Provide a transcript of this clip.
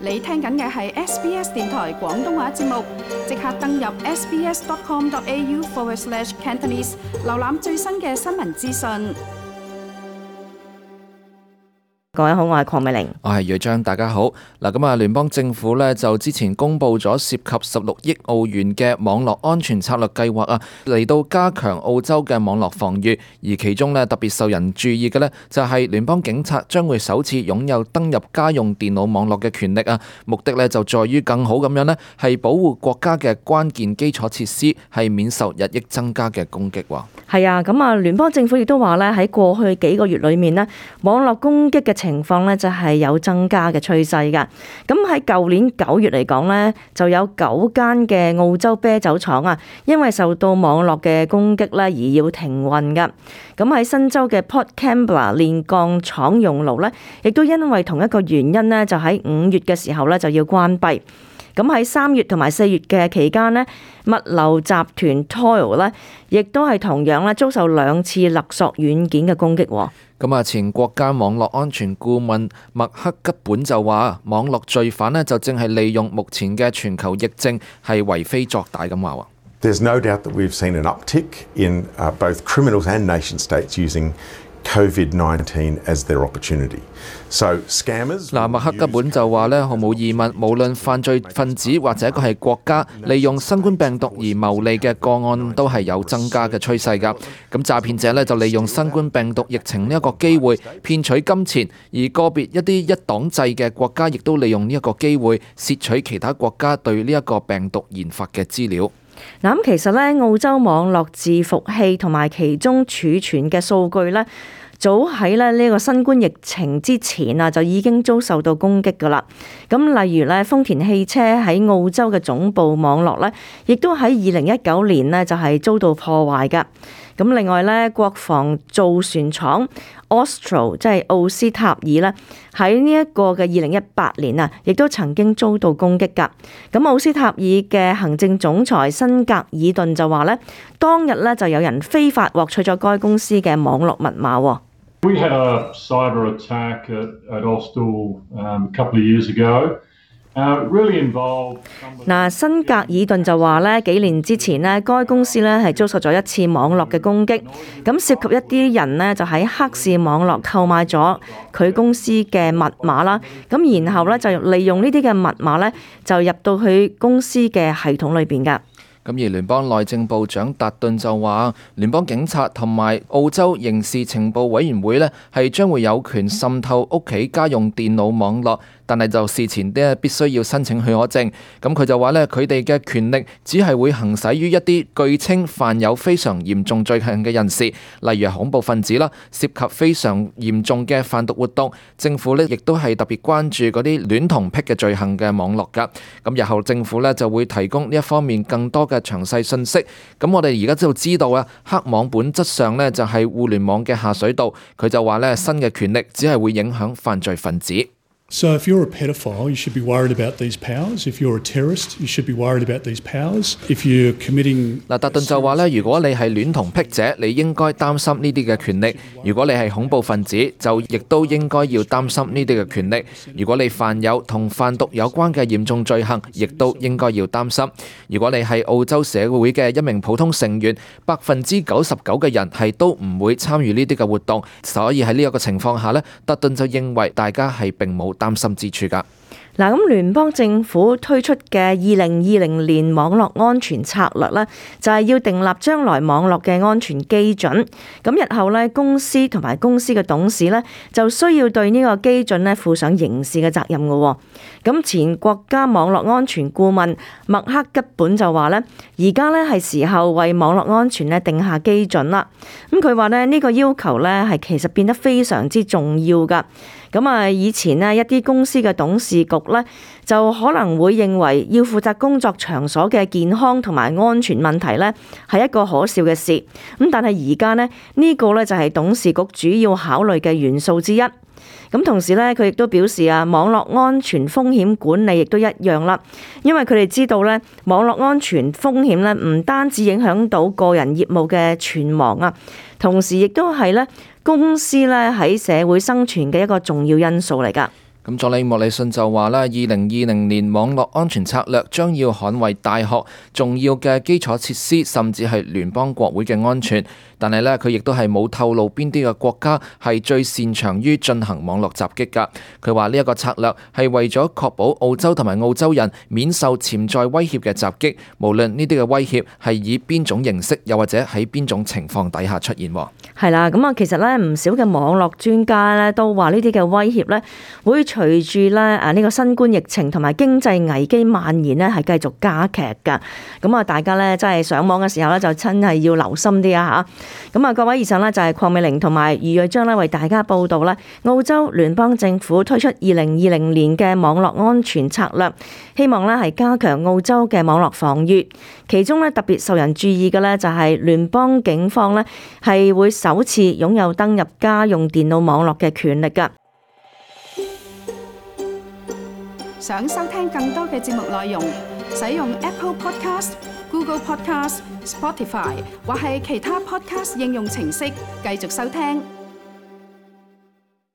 你聽緊嘅係 SBS 電台廣東話節目，即刻登入 sbs.com.au/Cantonese 瀏覽最新嘅新聞資訊。各位好，我係鄺美玲，我係瑞章，大家好。咁聯邦政府呢就之前公布咗涉及16億澳元嘅網絡安全策略計劃啊，嚟到加強澳洲嘅網絡防禦。而其中呢特別受人注意嘅呢，就係聯邦警察將會首次擁有登入家用電腦網絡嘅權力啊。目的呢就在於更好咁樣呢係保護國家嘅關鍵基礎設施，係免受日益增加嘅攻擊。係啊，聯邦政府亦都話呢，喺過去幾個月裏面呢，網絡攻擊嘅情況呢就係有增加嘅趨勢㗎。咁喺舊年9月嚟講呢，就有9間嘅澳洲啤酒廠啊，因為受到網絡嘅攻擊呢而要停運㗎。咁喺新州嘅 Port Kembla 煉鋼廠熔爐呢，亦都因為同一個原因呢，就喺5月嘅時候呢就要關閉。咁喺3月同埋4月嘅期間呢，物流集團 Toil 呢，亦都係同樣咧遭受2次勒索軟件嘅攻擊。前國家網絡安全顧問麥克吉本就話，網絡罪犯呢就正係利用目前嘅全球疫症係為非作歹咁話。There's no doubt that we've seen an uptick in both criminals and nation states using COVID-19 as their opportunity. So scammers 麥克吉本就話呢，毫無疑問，無論犯罪分子或者一個係國家利用新冠病毒而牟利嘅個案都係有增加嘅趨勢㗎。咁詐騙者呢就利用新冠病毒疫情呢一個機會騙取金錢，而個別一啲一黨制嘅國家亦都利用呢一個機會竊取其他國家對呢一個病毒研發嘅資料。咁其實咧，澳洲網絡伺服器同埋其中儲存嘅數據咧，早喺呢個新冠疫情之前啊，就已經遭受到攻擊噶啦。咁例如咧，豐田汽車喺澳洲嘅總部網絡咧，亦都喺2019年呢就係遭到破壞噶。咁另外咧，國防造船廠 Austral 即係奧斯塔爾咧，喺呢一個嘅2018年啊，亦都曾經遭到攻擊㗎。咁奧斯塔爾嘅行政總裁辛格爾頓就話咧，當日咧就有人非法獲取咗該公司嘅網絡密碼。We had a cyber attack at Austral a couple of years ago. 辛格爾頓就話咧，幾年之前咧，該公司咧係遭受咗一次網絡嘅攻擊，咁涉及一啲人呢，就喺黑市網絡購買咗佢公司嘅密碼啦，咁然後咧就利用呢啲嘅密碼咧就入到去公司嘅系統裏邊噶。咁而聯邦內政部長達頓就話，聯邦警察同埋澳洲刑事情報委員會呢係將會有權滲透屋企家用電腦網絡，但係就事前必須要申請許可證。咁佢就話呢，佢哋嘅權力只係會行使於一啲據稱犯有非常嚴重罪行嘅人士，例如恐怖分子啦，涉及非常嚴重嘅販毒活動。政府呢亦都係特別關注嗰啲戀童癖嘅罪行嘅網絡㗎。咁日後政府呢就會提供呢一方面更多嘅詳細信息。咁我哋而家就知道啊，黑網本質上呢就係互聯網嘅下水道。佢就話呢，新嘅權力只係會影響犯罪分子。So if you're a pedophile, you should be worried about these powers. If you're a terrorist, you should be worried about these powers. If you're committing 達頓就話咧，如果你係戀童癖者，你應該擔心呢啲嘅權力；如果你係恐怖分子，就亦都應該要擔心呢啲嘅權力；如果你犯有同販毒有關嘅嚴重罪行，亦都應該要擔心。如果你係澳洲社會嘅一名普通成員，99%嘅人係都唔會參與呢啲嘅活動，所以喺呢一個情況下咧，達頓就認為大家係並冇擔心之處㗎。嗱，咁聯邦政府推出嘅2020年網絡安全策略呢，就係要訂立將來網絡嘅安全基準。咁日後呢，公司同埋公司嘅董事呢，就需要對呢個基準呢負上刑事嘅責任嘅。咁前國家網絡安全顧問麥克吉本就話呢，而家呢係時候為網絡安全呢定下基準啦。咁佢話呢，呢個要求呢係其實變得非常之重要㗎。咁以前呢，一啲公司嘅董事局呢，就可能會認為要負責工作場所嘅健康同埋安全問題呢係一個可笑嘅事。咁但係而家呢，呢個呢就係董事局主要考慮嘅元素之一。咁同時咧，佢亦都表示啊，網絡安全風險管理亦都一樣啦，因為佢哋知道咧，網絡安全風險咧唔單止影響到個人業務嘅存亡啊，同時亦都係咧公司咧喺社會生存嘅一個重要因素嚟㗎。咁佐里莫里遜就話啦，2020年網絡安全策略將要捍衛大學重要嘅基礎設施，甚至係聯邦國會嘅安全。但係呢，佢亦都係冇透露邊啲嘅國家係最擅長於進行網絡襲擊㗎。佢話呢一個策略係為咗確保澳洲同埋澳洲人免受潛在威脅嘅襲擊，無論呢啲嘅威脅係以邊種形式，又或者喺邊種情況底下出現。係啦，咁啊，其實咧唔少嘅網絡專家咧都話呢啲嘅威脅咧會隨住咧呢個新冠疫情同埋經濟危機蔓延咧係繼續加劇㗎。咁啊，大家咧真係上網嘅時候咧就真係要留心啲啊嚇。咁啊，各位以上咧就係鄺美玲同埋余瑞章咧為大家報道咧澳洲聯邦政府推出2020年嘅網絡安全策略，希望咧係加強澳洲嘅網絡防禦。其中咧特別受人注意嘅咧就係聯邦警方咧係會首次擁有登入家用電腦網絡嘅權力㗎。想收聽更多嘅節目內容，使用 Apple Podcast、Google Podcast、Spotify 或係其他 Podcast 應用程式繼續收聽。